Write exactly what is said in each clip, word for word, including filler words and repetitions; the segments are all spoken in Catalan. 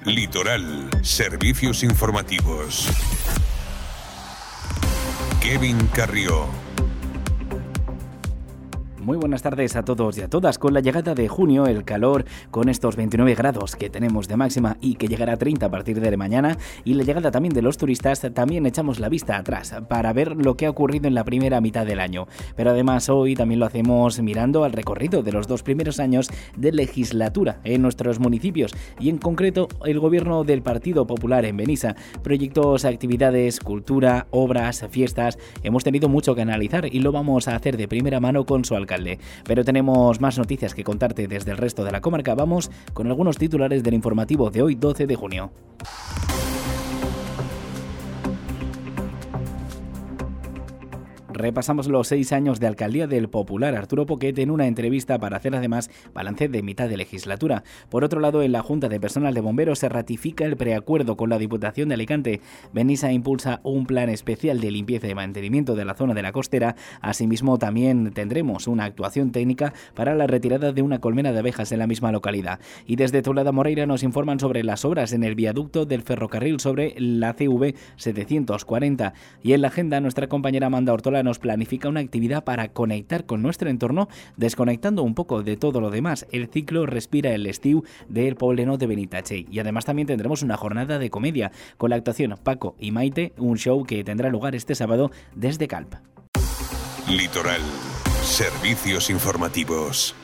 Litoral, servicios informativos. Kevin Carrió. Muy buenas tardes a todos y a todas. Con la llegada de junio, el calor con estos veintinueve grados que tenemos de máxima y que llegará a treinta a partir de mañana, y la llegada también de los turistas, también echamos la vista atrás para ver lo que ha ocurrido en la primera mitad del año. Pero además hoy también lo hacemos mirando al recorrido de los dos primeros años de legislatura en nuestros municipios, y en concreto el gobierno del Partido Popular en Benissa. Proyectos, actividades, cultura, obras, fiestas. Hemos tenido mucho que analizar y lo vamos a hacer de primera mano con su alcalde. Pero tenemos más noticias que contarte desde el resto de la comarca. Vamos con algunos titulares del informativo de hoy, doce de junio. Repasamos los seis años de alcaldía del popular Arturo Poquet en una entrevista para hacer además balance de mitad de legislatura. Por otro lado, en la Junta de Personal de Bomberos se ratifica el preacuerdo con la Diputación de Alicante. Benissa impulsa un plan especial de limpieza y mantenimiento de la zona de la costera. Asimismo, también tendremos una actuación técnica para la retirada de una colmena de abejas en la misma localidad. Y desde Toledo Moreira nos informan sobre las obras en el viaducto del ferrocarril sobre la C V setecientos cuarenta. Y en la agenda, nuestra compañera Amanda Ortola nos planifica una actividad para conectar con nuestro entorno, desconectando un poco de todo lo demás. El ciclo Respira el Estiu del Pobleno de Benitatxell. Y además también tendremos una jornada de comedia con la actuación Paco y Maite, un show que tendrá lugar este sábado desde Calp. Litoral, servicios informativos.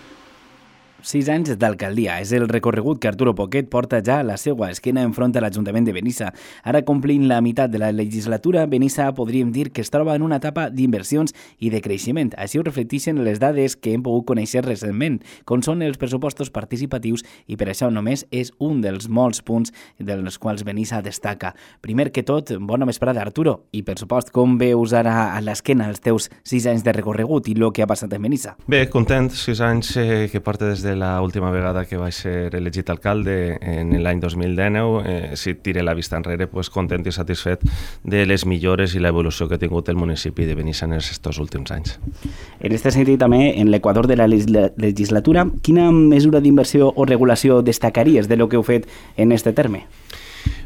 Sis anys d'alcaldia és el recorregut que Arturo Poquet porta ja a la seva esquena enfront a l'Ajuntament de Benissa. Ara, complint la meitat de la legislatura, Benissa podríem dir que es troba en una etapa d'inversions i de creixement. Així ho reflecteixen les dades que hem pogut conèixer recentment, com són els pressupostos participatius, i per això només és un dels molts punts dels quals Benissa destaca. Primer que tot, bona vesprada, Arturo, i per supost, com veus ara a l'esquena els teus sis anys de recorregut i el que ha passat en Benissa? Bé, content, sis anys eh, que porta des de la última vegada que vaig ser elegit alcalde en l'any dos mil dinou. Eh, si tire la vista enrere, pues, content i satisfet de les millores i l'evolució que ha tingut el municipi de Benissa en aquests últims anys. En aquest sentit, també, en l'equador de la legislatura, quina mesura d'inversió o regulació destacaries de lo que heu fet en este terme?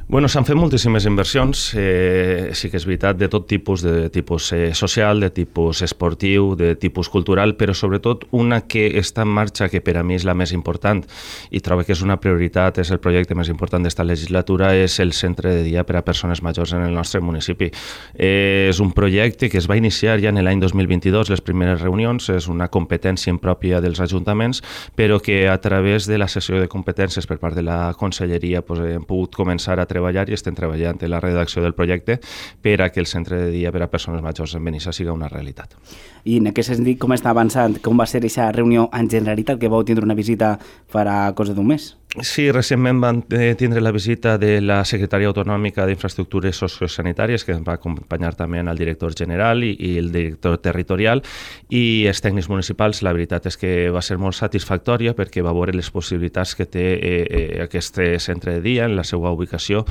Bueno, s'han fet moltíssimes inversions, eh, sí que és veritat, de tot tipus, de tipus eh, social, de tipus esportiu, de tipus cultural, però sobretot una que està en marxa, que per a mi és la més important i trobo que és una prioritat, és el projecte més important d'esta legislatura, és el centre de dia per a persones majors en el nostre municipi. Eh, és un projecte que es va iniciar ja en l'any dos mil vint-i-dos, les primeres reunions, és una competència impròpia dels ajuntaments, però que a través de la sessió de competències per part de la Conselleria pues, hem pogut començar a treballar i estem treballant en la redacció del projecte per a que el centre de dia per a persones majors en Benissa siga una realitat. I en aquest sentit, com està avançant? Com va ser aquesta reunió en Generalitat, que vau tindre una visita farà cosa d'un mes? Sí, recentment vam tindre la visita de la Secretaria Autonòmica d'Infraestructures Sociosanitàries, que ens va acompanyar també el director general i, i el director territorial, i els tècnics municipals. La veritat és que va ser molt satisfactòria perquè va veure les possibilitats que té eh, eh, aquest centre de dia en la seva ubicació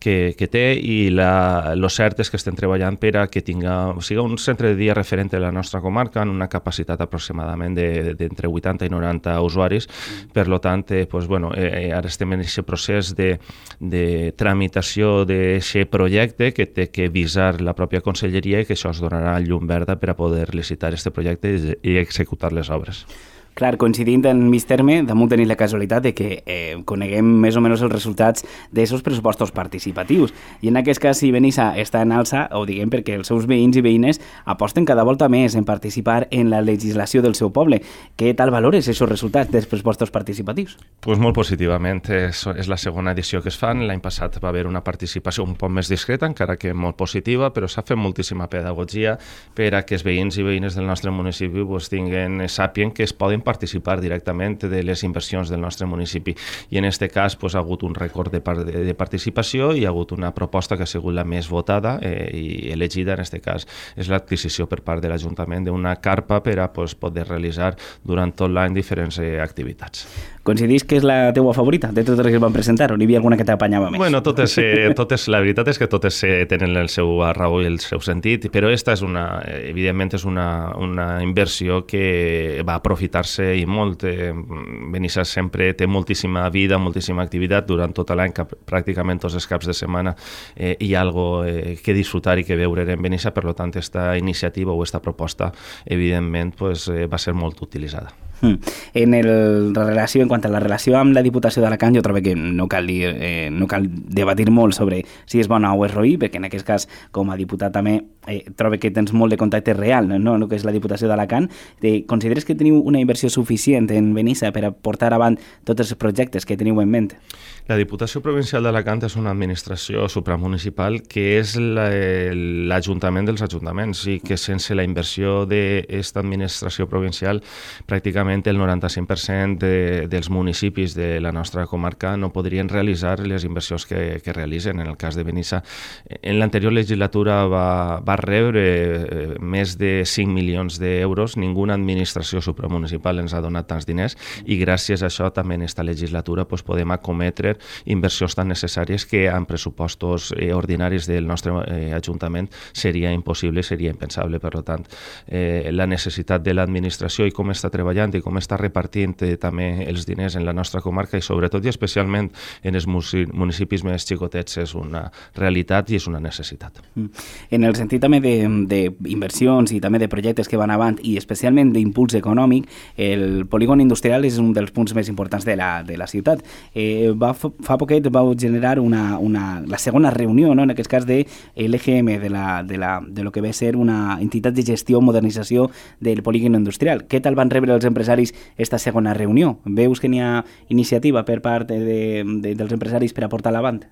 que, que té, i la, lo cert és que estem treballant per a que tinga, siga un centre de dia referent a la nostra comarca, en una capacitat aproximadament d'entre vuitanta i noranta usuaris. Per lo tant, eh, pues, bueno, Eh, ara estem en aquest procés de, de tramitació d'aquest projecte que té que visar la pròpia Conselleria, i que això es donarà llum verda per a poder licitar aquest projecte i executar les obres. Clar, coincidint en mig terme, damunt tenir la casualitat de que eh, coneguem més o menys els resultats d'aquests pressupostos participatius. I en aquest cas, si Benissa està en alça, ho diguem perquè els seus veïns i veïnes aposten cada volta més en participar en la legislació del seu poble. Què tal valores aquests resultats dels pressupostos participatius? Pues molt positivament. És, és la segona edició que es fan. L'any passat va haver una participació un poc més discreta, encara que molt positiva, però s'ha fet moltíssima pedagogia per a que els veïns i veïnes del nostre municipi pues, tinguen, sàpien que es poden participar directament de les inversions del nostre municipi. I en aquest cas pues, ha hagut un rècord de, par de participació i ha hagut una proposta que ha sigut la més votada eh, i elegida en aquest cas. És l'adquisició per part de l'Ajuntament d'una carpa per a pues, poder realitzar durant tot l'any diferents eh, activitats. Coincidís que és la teua favorita de totes les que es van presentar, o n'hi havia alguna que t'apanyava més? Bueno, totes, eh, totes, la veritat és que totes eh, tenen el seu raó i el seu sentit, però esta és una, evidentment és una, una inversió que va aprofitar-se i molt. Eh, Benissa sempre té moltíssima vida, moltíssima activitat durant tot l'any, pràcticament tots els caps de setmana eh, hi ha algo eh, que disfrutar i que veure en Benissa, per tant, esta iniciativa o esta proposta, evidentment, pues, eh, va ser molt utilitzada. En el, la relació, en quant a la relació amb la Diputació d'Alacant, jo trobo que no cal, dir, eh, no cal debatir molt sobre si és bona o és roí, perquè en aquest cas, com a diputat també, eh, trobo que tens molt de contacte real, no? El que és la Diputació d'Alacant. Eh, consideres que teniu una inversió suficient en Benissa per a portar avant tots els projectes que teniu en ment? La Diputació Provincial d'Alacant és una administració supramunicipal que és l'Ajuntament dels ajuntaments i que sense la inversió d'aquesta administració provincial pràcticament el noranta-cinc per cent de, dels municipis de la nostra comarca no podrien realitzar les inversions que, que realitzen. En el cas de Benissa, en l'anterior legislatura va, va rebre eh, més de cinc milions d'euros. Ninguna administració supramunicipal ens ha donat tants diners i gràcies a això també en aquesta legislatura pues, podem acometre inversions tan necessàries que en pressupostos eh, ordinaris del nostre eh, Ajuntament seria impossible, seria impensable. Per tant, eh, la necessitat de l'administració i com està treballant i com està repartint eh, també els diners en la nostra comarca i sobretot i especialment en els municipis més xicotets és una realitat i és una necessitat. En el sentit també d'inversions i també de projectes que van avant i especialment d'impuls econòmic, el polígon industrial és un dels punts més importants de la, de la ciutat. Eh, va, fa poquet vau generar una, una, la segona reunió, no? En aquest cas de l'E G M, de, la, de, la, de lo que ve a ser una entitat de gestió o modernització del polígon industrial. Què tal van rebre els empresaris esta segona reunió? Veus que n'hi ha iniciativa per part de, de, dels empresaris per a portar-la avant?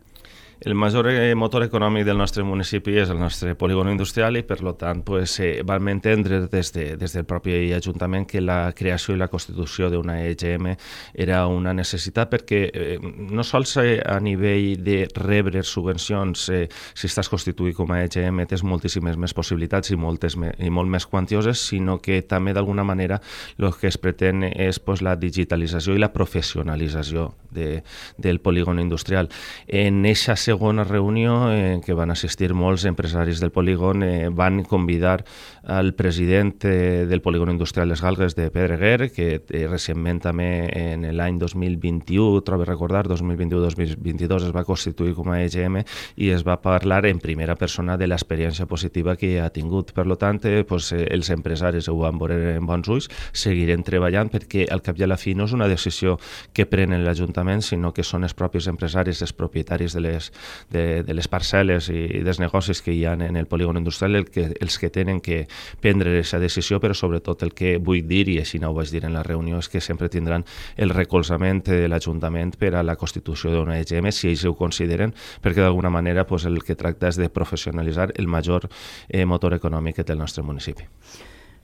El major motor econòmic del nostre municipi és el nostre polígon industrial i, per tant, pues, eh, vam entendre des, de, des del propi Ajuntament que la creació i la constitució d'una E G M era una necessitat perquè eh, no sols eh, a nivell de rebre subvencions, eh, si estàs constituït com a E G M tens moltíssimes més possibilitats i, moltes me, i molt més quantioses, sinó que també d'alguna manera el que es pretén és pues, la digitalització i la professionalització de, del polígon industrial. En aquesta segona reunió en què van assistir molts empresaris del polígon eh, van convidar al president eh, del polígon industrial Les Galgues de Pedreguer, que eh, recentment també en l'any dos mil vint-i-u, trobo recordar, dos mil vint-i-u dos mil vint-i-dos es va constituir com a E G M i es va parlar en primera persona de l'experiència positiva que ha tingut. Per tant, eh, pues, eh, els empresaris ho van veure en bons ulls, seguirem treballant perquè al cap i a la fi no és una decisió que prenen l'Ajuntament, sinó que són els propis empresaris, els propietaris de les De, de les parcel·les i dels negocis que hi ha en el polígon industrial el que, els que tenen que prendre aquesta decisió, però sobretot el que vull dir, i així no ho vaig dir en la reunió, és que sempre tindran el recolzament de l'Ajuntament per a la constitució d'una E G M, si ells ho consideren, perquè d'alguna manera pues, el que tracta és de professionalitzar el major eh, motor econòmic que té el nostre municipi.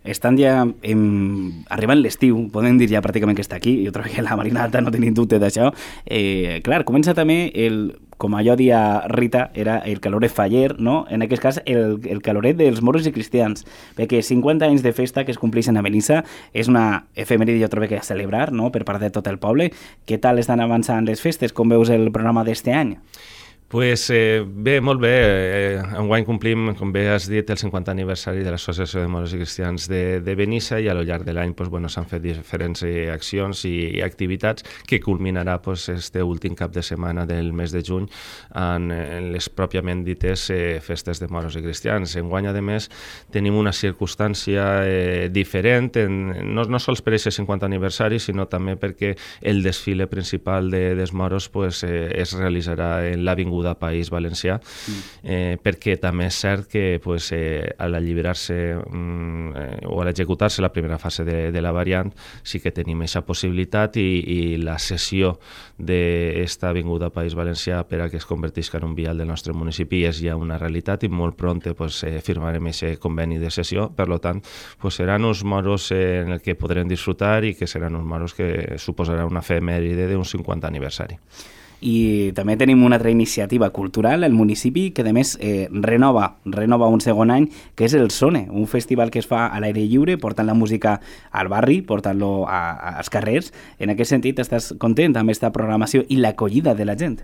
Estan ja em, arribant l'estiu, podem dir ja pràcticament que està aquí, jo trobo que la Marina Alta no tenim dubte d'això. Eh, clar, comença també el, com allò dia Rita, era el caloret faller, no? En aquest cas el, el caloret dels moros i cristians, perquè cinquanta anys de festa que es compleixen a Benissa és una efemèride, jo trobo que a celebrar, no?, per part de tot el poble. Què tal estan avançant les festes? Com veus el programa d'este any? Pues, eh, bé, molt bé. Eh, enguany complim, com bé has dit, el cinquantè aniversari de l'Associació de Moros i Cristians de, de Benissa i a lo llarg de l'any pues, bueno, s'han fet diferents eh, accions i, i activitats que culminarà pues, este últim cap de setmana del mes de juny en, en les pròpiament dites eh, festes de Moros i Cristians. Enguany, a més, tenim una circumstància eh, diferent, en, no, no sols per aquest cinquantè aniversari, sinó també perquè el desfile principal de, dels moros pues, eh, es realitzarà en l'Avinguda de País Valencià, eh, perquè també és cert que pues, eh, a l'alliberar-se mm, eh, o a l'executar-se la primera fase de, de la variant sí que tenim aquesta possibilitat i, i la cessió d'esta Avinguda País Valencià per a que es convertisca en un vial del nostre municipi és ja una realitat i molt pront pues, eh, firmarem aquest conveni de cessió. Per tant, pues, seran uns moros eh, en el que podrem disfrutar i que seran uns moros que suposarà una efemèride d'un cinquantè aniversari. I també tenim una altra iniciativa cultural al municipi que a més eh, renova, renova un segon any, que és el Sone, un festival que es fa a l'aire lliure, portant la música al barri, portant-lo als carrers. En aquest sentit, estàs content amb aquesta programació i l'acollida de la gent?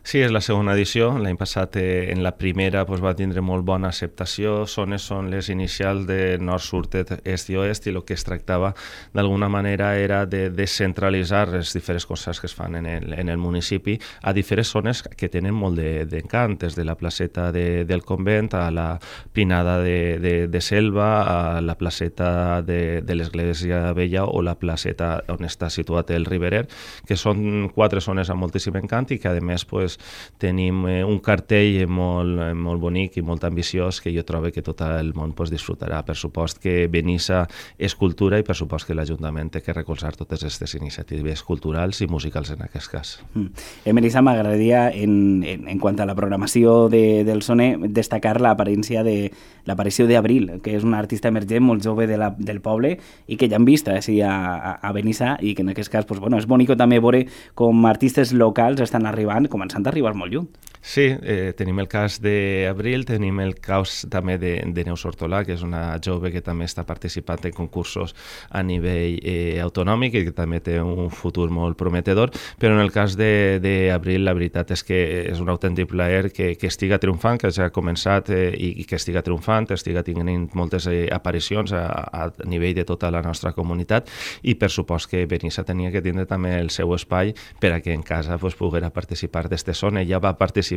Sí, és la segona edició. L'any passat eh, en la primera pues, va tindre molt bona acceptació. Sones són les inicials de nord, sud, est i oest, i el que es tractava d'alguna manera era de descentralitzar les diferents coses que es fan en el, en el municipi a diferents zones que tenen molt d'encant, de, des de la placeta de, del convent a la pinada de, de, de Selva, a la placeta de, de l'Església Vella o la placeta on està situat el Riberer, que són quatre zones amb moltíssim encant i que a més pues, tenim eh, un cartell molt, molt bonic i molt ambiciós que jo trobo que tot el món pues, disfrutarà. Per supost que Benissa és cultura i per supost que l'Ajuntament té que recolzar totes aquestes iniciatives culturals i musicals en aquest cas. Mm. En Benissa m'agradaria, en, en, en quant a la programació de, del Sone, destacar l'aparició de l'aparició d'Abril, que és una artista emergent molt jove de la, del poble i que ja hem vist així a, a, a Benissa i que en aquest cas pues, bueno, és bonic també veure com artistes locals estan arribant, començant a arribar molt lluny. Sí, eh, tenim el cas d'Abril, tenim el cas també de, de Neus Hortolà, que és una jove que també està participant en concursos a nivell eh, autonòmic i que també té un futur molt prometedor, però en el cas d'Abril la veritat és que és un autèntic plaer que, que estiga triomfant, que ja ha començat eh, i, i que estiga triomfant, estiga tenint moltes eh, aparicions a, a nivell de tota la nostra comunitat i per supost que Benissa tenia que tindre també el seu espai per a que en casa pues, poguera participar d'este Sone. Ja va participar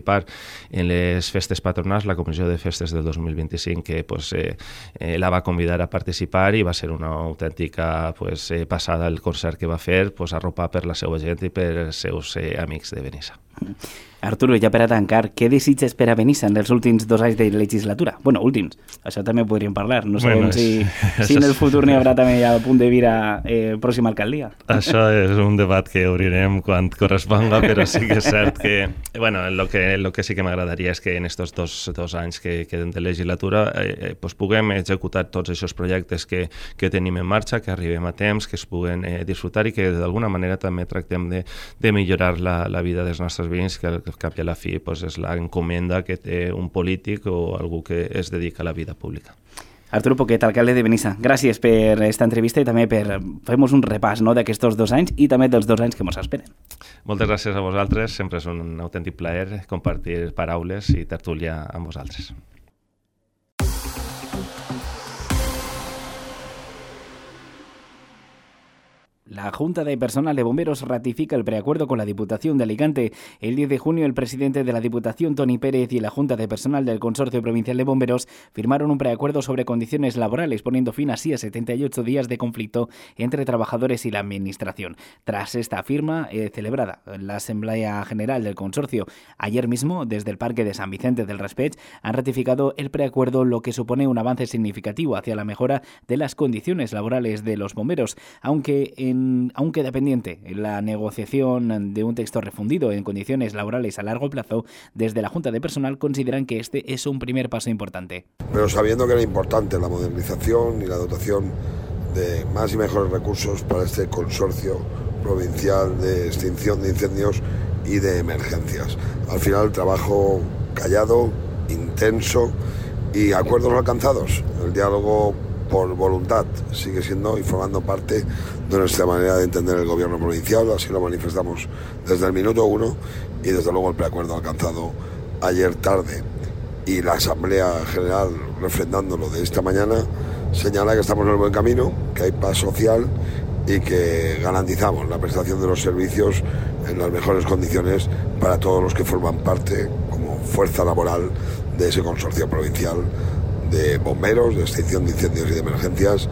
en les festes patronals, la Comissió de Festes del dos mil vint-i-cinc, que pues, eh, eh, la va convidar a participar i va ser una autèntica pues, eh, passada el concert que va fer, pues, arropat per la seva gent i per els seus eh, amics de Benissa. Arturo, ja per a tancar, què desitges per a Benissa en els últims dos anys de legislatura? Bueno, últims, això també podríem parlar. No sabem bueno, si, si en el futur n'hi haurà també a punt de vir a eh, pròxima alcaldia. Això és un debat que obrirem quan corresponga, però sí que és cert que, bueno, el que, el que sí que m'agradaria és que en aquests dos, dos anys que queden de legislatura eh, pues puguem executar tots aquests projectes que, que tenim en marxa, que arribem a temps, que es puguen eh, disfrutar i que d'alguna manera també tractem de, de millorar la, la vida dels nostres veïns, que al cap i a la fi pues, és l'encomenda que té un polític o algú que es dedica a la vida pública. Arturo Poquet, alcalde de Benissa, gràcies per aquesta entrevista i també per fer-nos un repàs no, d'aquests dos anys i també dels dos anys que ens esperen. Moltes gràcies a vosaltres, sempre és un autèntic plaer compartir paraules i tertúlia amb vosaltres. La Junta de Personal de Bomberos ratifica el preacuerdo con la Diputación de Alicante. El diez de junio, el presidente de la Diputación, Toni Pérez, y la Junta de Personal del Consorcio Provincial de Bomberos firmaron un preacuerdo sobre condiciones laborales, poniendo fin así a setenta y ocho días de conflicto entre trabajadores y la Administración. Tras esta firma, eh, celebrada en la Asamblea General del Consorcio ayer mismo, desde el Parque de San Vicente del Raspeig, han ratificado el preacuerdo, lo que supone un avance significativo hacia la mejora de las condiciones laborales de los bomberos, aunque en aún queda pendiente la negociación de un texto refundido en condiciones laborales a largo plazo. Desde la Junta de Personal consideran que este es un primer paso importante. Pero sabiendo que era importante la modernización y la dotación de más y mejores recursos para este consorcio provincial de extinción de incendios y de emergencias. Al final, trabajo callado, intenso y acuerdos alcanzados. El diálogo por voluntad sigue siendo y formando parte de nuestra manera de entender el gobierno provincial, así lo manifestamos desde el minuto uno y desde luego el preacuerdo alcanzado ayer tarde y la Asamblea General refrendándolo de esta mañana señala que estamos en el buen camino, que hay paz social y que garantizamos la prestación de los servicios en las mejores condiciones para todos los que forman parte como fuerza laboral de ese consorcio provincial de bomberos, de extinción de incendios y de emergencias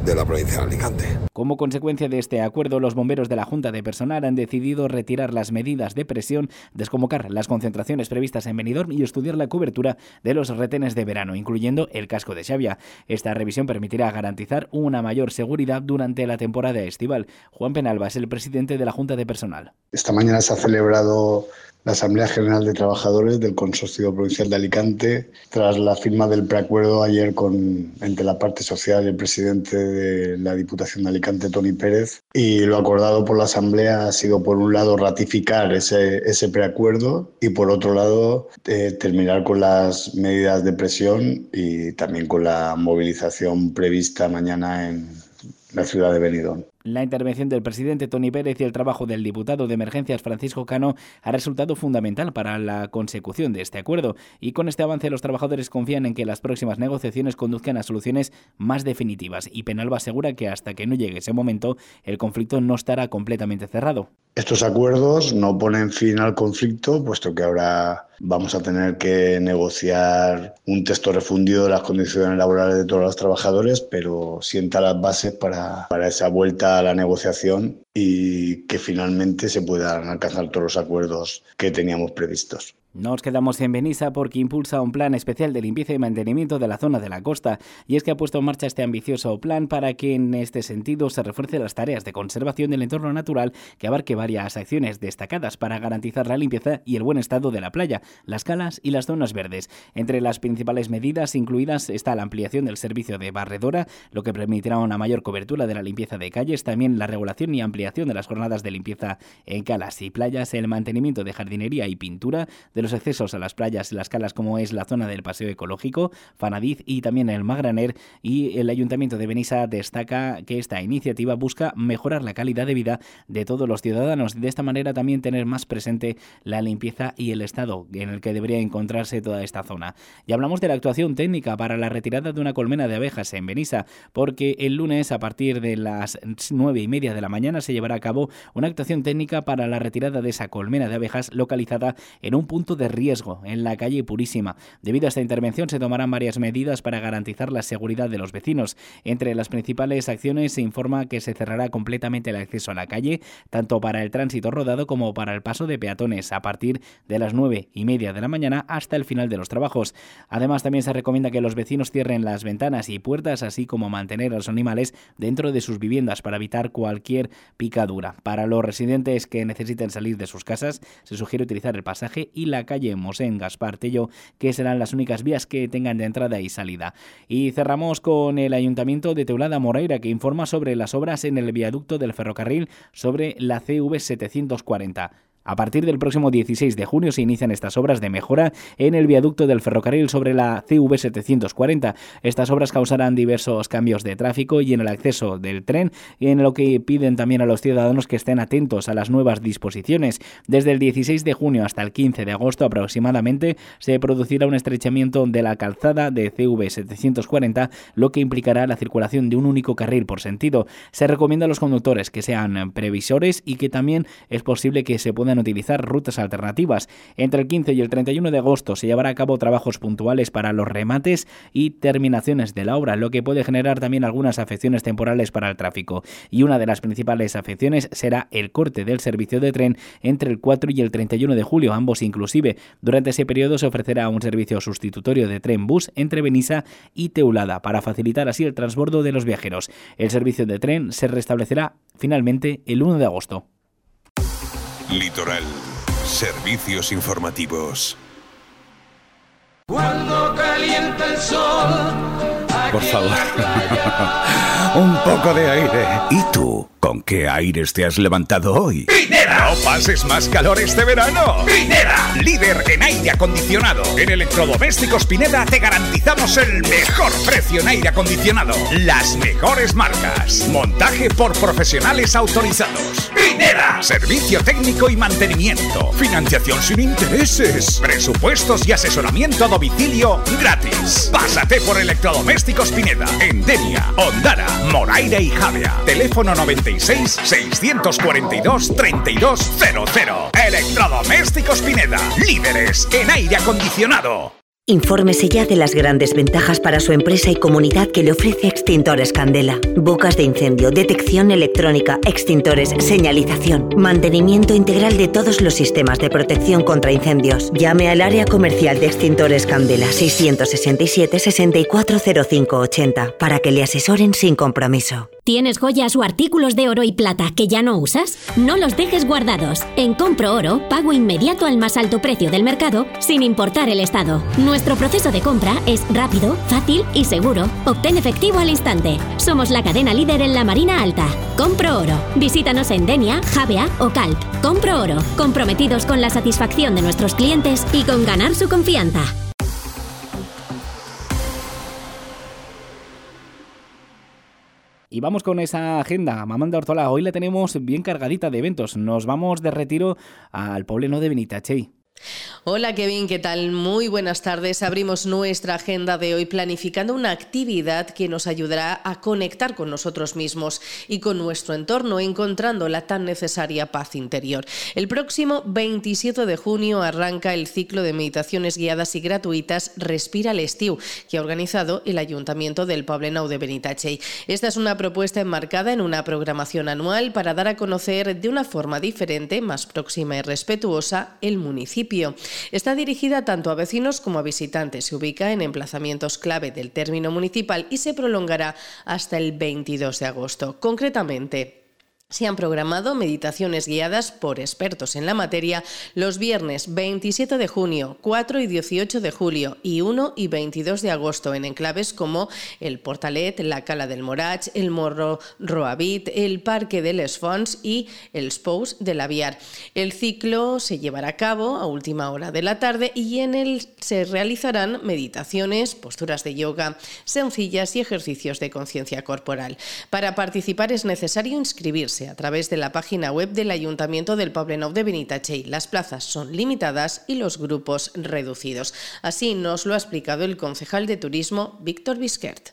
de la provincia de Alicante. Como consecuencia de este acuerdo, los bomberos de la Junta de Personal han decidido retirar las medidas de presión, desconvocar las concentraciones previstas en Benidorm y estudiar la cobertura de los retenes de verano, incluyendo el casco de Xavia. Esta revisión permitirá garantizar una mayor seguridad durante la temporada estival. Juan Penalba es el presidente de la Junta de Personal. Esta mañana se ha celebrado la Asamblea General de Trabajadores del Consorcio Provincial de Alicante, tras la firma del preacuerdo ayer con, entre la parte social y el presidente de la Diputación de Alicante, Toni Pérez, y lo acordado por la Asamblea ha sido, por un lado, ratificar ese, ese preacuerdo y, por otro lado, eh, terminar con las medidas de presión y también con la movilización prevista mañana en la ciudad de Benidorm. La intervención del presidente Toni Pérez y el trabajo del diputado de Emergencias Francisco Cano ha resultado fundamental para la consecución de este acuerdo, y con este avance los trabajadores confían en que las próximas negociaciones conduzcan a soluciones más definitivas, y Penalba asegura que hasta que no llegue ese momento el conflicto no estará completamente cerrado. Estos acuerdos no ponen fin al conflicto, puesto que ahora vamos a tener que negociar un texto refundido de las condiciones laborales de todos los trabajadores, pero sienta las bases para, para esa vuelta a la negociación y que finalmente se puedan alcanzar todos los acuerdos que teníamos previstos. Nos quedamos en Benissa porque impulsa un plan especial de limpieza y mantenimiento de la zona de la costa, y es que ha puesto en marcha este ambicioso plan para que en este sentido se refuercen las tareas de conservación del entorno natural, que abarque varias acciones destacadas para garantizar la limpieza y el buen estado de la playa, las calas y las zonas verdes. Entre las principales medidas incluidas está la ampliación del servicio de barredora, lo que permitirá una mayor cobertura de la limpieza de calles, también la regulación y ampliación de las jornadas de limpieza en calas y playas, el mantenimiento de jardinería y pintura de los accesos a las playas y las calas, como es la zona del paseo ecológico, Fanadiz y también el Magraner. Y el Ayuntamiento de Benissa destaca que esta iniciativa busca mejorar la calidad de vida de todos los ciudadanos, de esta manera también tener más presente la limpieza y el estado en el que debería encontrarse toda esta zona. Y hablamos de la actuación técnica para la retirada de una colmena de abejas en Benissa, porque el lunes a partir de las nueve y media de la mañana se llevará a cabo una actuación técnica para la retirada de esa colmena de abejas localizada en un punto de riesgo en la calle Purísima. Debido a esta intervención se tomarán varias medidas para garantizar la seguridad de los vecinos. Entre las principales acciones se informa que se cerrará completamente el acceso a la calle, tanto para el tránsito rodado como para el paso de peatones, a partir de las nueve y media de la mañana hasta el final de los trabajos. Además, también se recomienda que los vecinos cierren las ventanas y puertas, así como mantener a los animales dentro de sus viviendas para evitar cualquier picadura. Para los residentes que necesiten salir de sus casas, se sugiere utilizar el pasaje y la calle Mosén Gaspar Tello, que serán las únicas vías que tengan de entrada y salida. Y cerramos con el Ayuntamiento de Teulada Moraira, que informa sobre las obras en el viaducto del ferrocarril sobre la C V setecientos cuarenta. A partir del próximo dieciséis de junio se inician estas obras de mejora en el viaducto del ferrocarril sobre la C V setecientos cuarenta. Estas obras causarán diversos cambios de tráfico y en el acceso del tren, y en lo que piden también a los ciudadanos que estén atentos a las nuevas disposiciones. Desde el dieciséis de junio hasta el quince de agosto aproximadamente se producirá un estrechamiento de la calzada de C V setecientos cuarenta, lo que implicará la circulación de un único carril por sentido. Se recomienda a los conductores que sean previsores y que también es posible que se puedan utilizar rutas alternativas. Entre el quince y el treinta y uno de agosto se llevará a cabo trabajos puntuales para los remates y terminaciones de la obra, lo que puede generar también algunas afecciones temporales para el tráfico. Y una de las principales afecciones será el corte del servicio de tren entre el cuatro y el treinta y uno de julio, ambos inclusive. Durante ese periodo se ofrecerá un servicio sustitutorio de tren-bus entre Benissa y Teulada para facilitar así el transbordo de los viajeros. El servicio de tren se restablecerá finalmente el uno de agosto. Litoral. Servicios informativos. Cuando calienta el sol. Por favor. Un poco de aire. ¿Y tú? ¿Con qué aires te has levantado hoy? ¡Pineda! ¡No pases más calor este verano! ¡Pineda! Líder en aire acondicionado. En Electrodomésticos Pineda te garantizamos el mejor precio en aire acondicionado. Las mejores marcas. Montaje por profesionales autorizados. ¡Pineda! Servicio técnico y mantenimiento. Financiación sin intereses. Presupuestos y asesoramiento a domicilio gratis. Pásate por Electrodomésticos Pineda. En Denia, Ondara, Moraira y Javea. Teléfono noventa y seis, seiscientos cuarenta y dos, treinta y dos cero cero. Electrodomésticos Pineda. Líderes en aire acondicionado. Infórmese ya de las grandes ventajas para su empresa y comunidad que le ofrece Extintores Candela. Bocas de incendio, detección electrónica, extintores, señalización, mantenimiento integral de todos los sistemas de protección contra incendios. Llame al área comercial de Extintores Candela seiscientos sesenta y siete, sesenta y cuatro cero cinco ochenta para que le asesoren sin compromiso. ¿Tienes joyas o artículos de oro y plata que ya no usas? No los dejes guardados. En Compro Oro, pago inmediato al más alto precio del mercado sin importar el estado. Nuestro proceso de compra es rápido, fácil y seguro. Obtén efectivo al instante. Somos la cadena líder en la Marina Alta. Compro Oro. Visítanos en Denia, Javea o Calp. Compro Oro. Comprometidos con la satisfacción de nuestros clientes y con ganar su confianza. Y vamos con esa agenda. Mamanda Ortola, hoy la tenemos bien cargadita de eventos. Nos vamos de retiro al Pobleno de Benitatxell. Hola Kevin, ¿qué tal? Muy buenas tardes. Abrimos nuestra agenda de hoy planificando una actividad que nos ayudará a conectar con nosotros mismos y con nuestro entorno, encontrando la tan necesaria paz interior. El próximo veintisiete de junio arranca el ciclo de meditaciones guiadas y gratuitas Respira l'Estiu, que ha organizado el Ayuntamiento del Poblenou de Benitatxell. Esta es una propuesta enmarcada en una programación anual para dar a conocer de una forma diferente, más próxima y respetuosa, el municipio. Está dirigida tanto a vecinos como a visitantes. Se ubica en emplazamientos clave del término municipal y se prolongará hasta el veintidós de agosto. Concretamente, se han programado meditaciones guiadas por expertos en la materia los viernes veintisiete de junio, cuatro y dieciocho de julio y uno y veintidós de agosto en enclaves como el Portalet, la Cala del Morach, el Morro Roavit, el Parque de les Fonts y el Spous de l'Aviar. El ciclo se llevará a cabo a última hora de la tarde y en él se realizarán meditaciones, posturas de yoga sencillas y ejercicios de conciencia corporal. Para participar es necesario inscribirse a través de la página web del Ayuntamiento del Poblenou de Benitatxell. Las plazas son limitadas y los grupos reducidos. Así nos lo ha explicado el concejal de Turismo, Víctor Bisquert.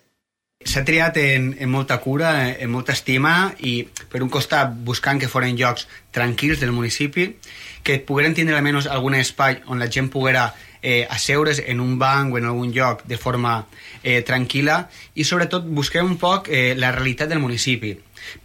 S'ha triat en, en molta cura, en molta estima i per un costat buscant que foren llocs tranquils del municipi, que pogueren tindre almenys algun espai on la gent poguera eh, asseure's en un banc o en algun lloc de forma eh, tranquil·la i sobretot busquem un poc eh, la realitat del municipi.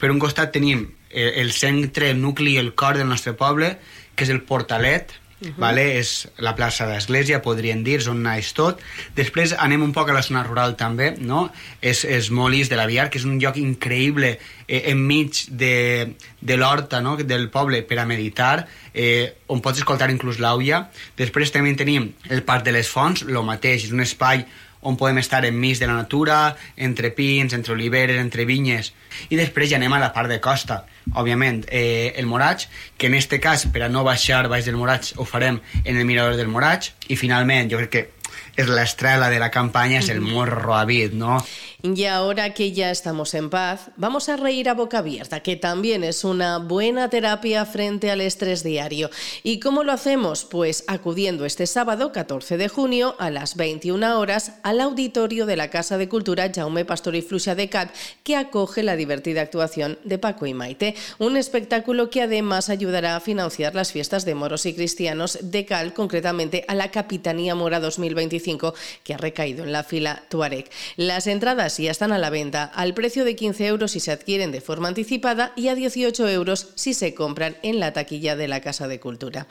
Per un costat tenim eh, el centre, el nucli, el cor del nostre poble, que és el Portalet, Uh-huh. Vale? És la plaça d'Església, podríem dir, on naix tot. Després anem un poc a la zona rural també, no? És, és Molís de l'Aviar, que és un lloc increïble eh, enmig de, de l'horta, no? Del poble per a meditar, eh, on pots escoltar inclús l'àuia. Després també tenim el Parc de les Fonts, el mateix, és un espai on podem estar enmig de la natura, entre pins, entre oliveres, entre vinyes. I després ja anem a la part de costa. Òbviament, eh, el Morach, que en este cas, per a no baixar baix del Morach, ho farem en el mirador del Morach. I finalment, jo crec que és l'estrella de la campanya, és el Morro Roavit, ¿no? Y ahora que ya estamos en paz, vamos a reír a boca abierta, que también es una buena terapia frente al estrés diario. ¿Y cómo lo hacemos? Pues acudiendo este sábado, catorce de junio, a las veintiuna horas, al auditorio de la Casa de Cultura Jaume Pastor y Fluxa de Cat, que acoge la divertida actuación de Paco y Maite. Un espectáculo que además ayudará a financiar las fiestas de moros y cristianos de Cal, concretamente a la Capitanía Mora dos mil veinticinco, que ha recaído en la fila Tuareg. Las entradas ya están a la venta al precio de quince euros si se adquieren de forma anticipada y a dieciocho euros si se compran en la taquilla de la Casa de Cultura.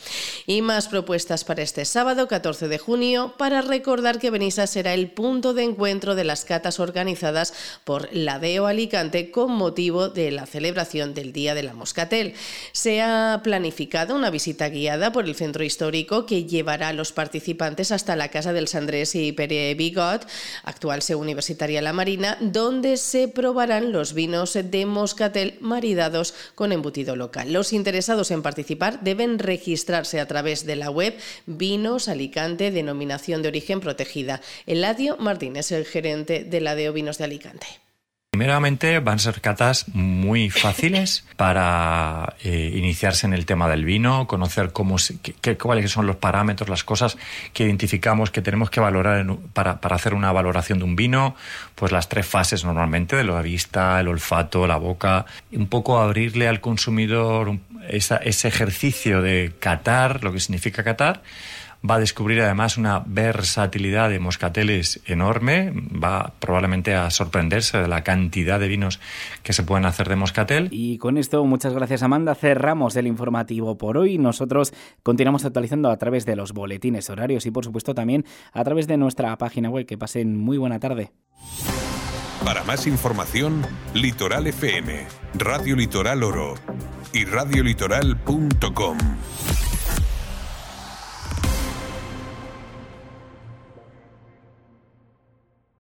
Y más propuestas para este sábado, catorce de junio, para recordar que Benissa será el punto de encuentro de las catas organizadas por la D E O Alicante con motivo de la celebración del Día de la Moscatel. Se ha planificado una visita guiada por el centro histórico que llevará a los participantes hasta la Casa del Sandrés y Pere Bigot, actual seu universitaria La Marina, donde se probarán los vinos de Moscatel maridados con embutido local. Los interesados en participar deben registrarse a través de la web Vinos Alicante, denominación de origen protegida. Eladio Martín es el gerente de la D E O Vinos de Alicante. Primeramente van a ser catas muy fáciles para eh, iniciarse en el tema del vino, conocer cómo se, qué, cuáles son los parámetros, las cosas que identificamos que tenemos que valorar en, para, para hacer una valoración de un vino, pues las tres fases normalmente, de la vista, el olfato, la boca, un poco abrirle al consumidor esa, ese ejercicio de catar, lo que significa catar. Va a descubrir además una versatilidad de moscateles enorme, va probablemente a sorprenderse de la cantidad de vinos que se pueden hacer de moscatel. Y con esto, muchas gracias Amanda, cerramos el informativo por hoy. Nosotros continuamos actualizando a través de los boletines horarios y por supuesto también a través de nuestra página web. Que pasen muy buena tarde. Para más información, Litoral F M, Radio Litoral Oro y radio litoral punto com.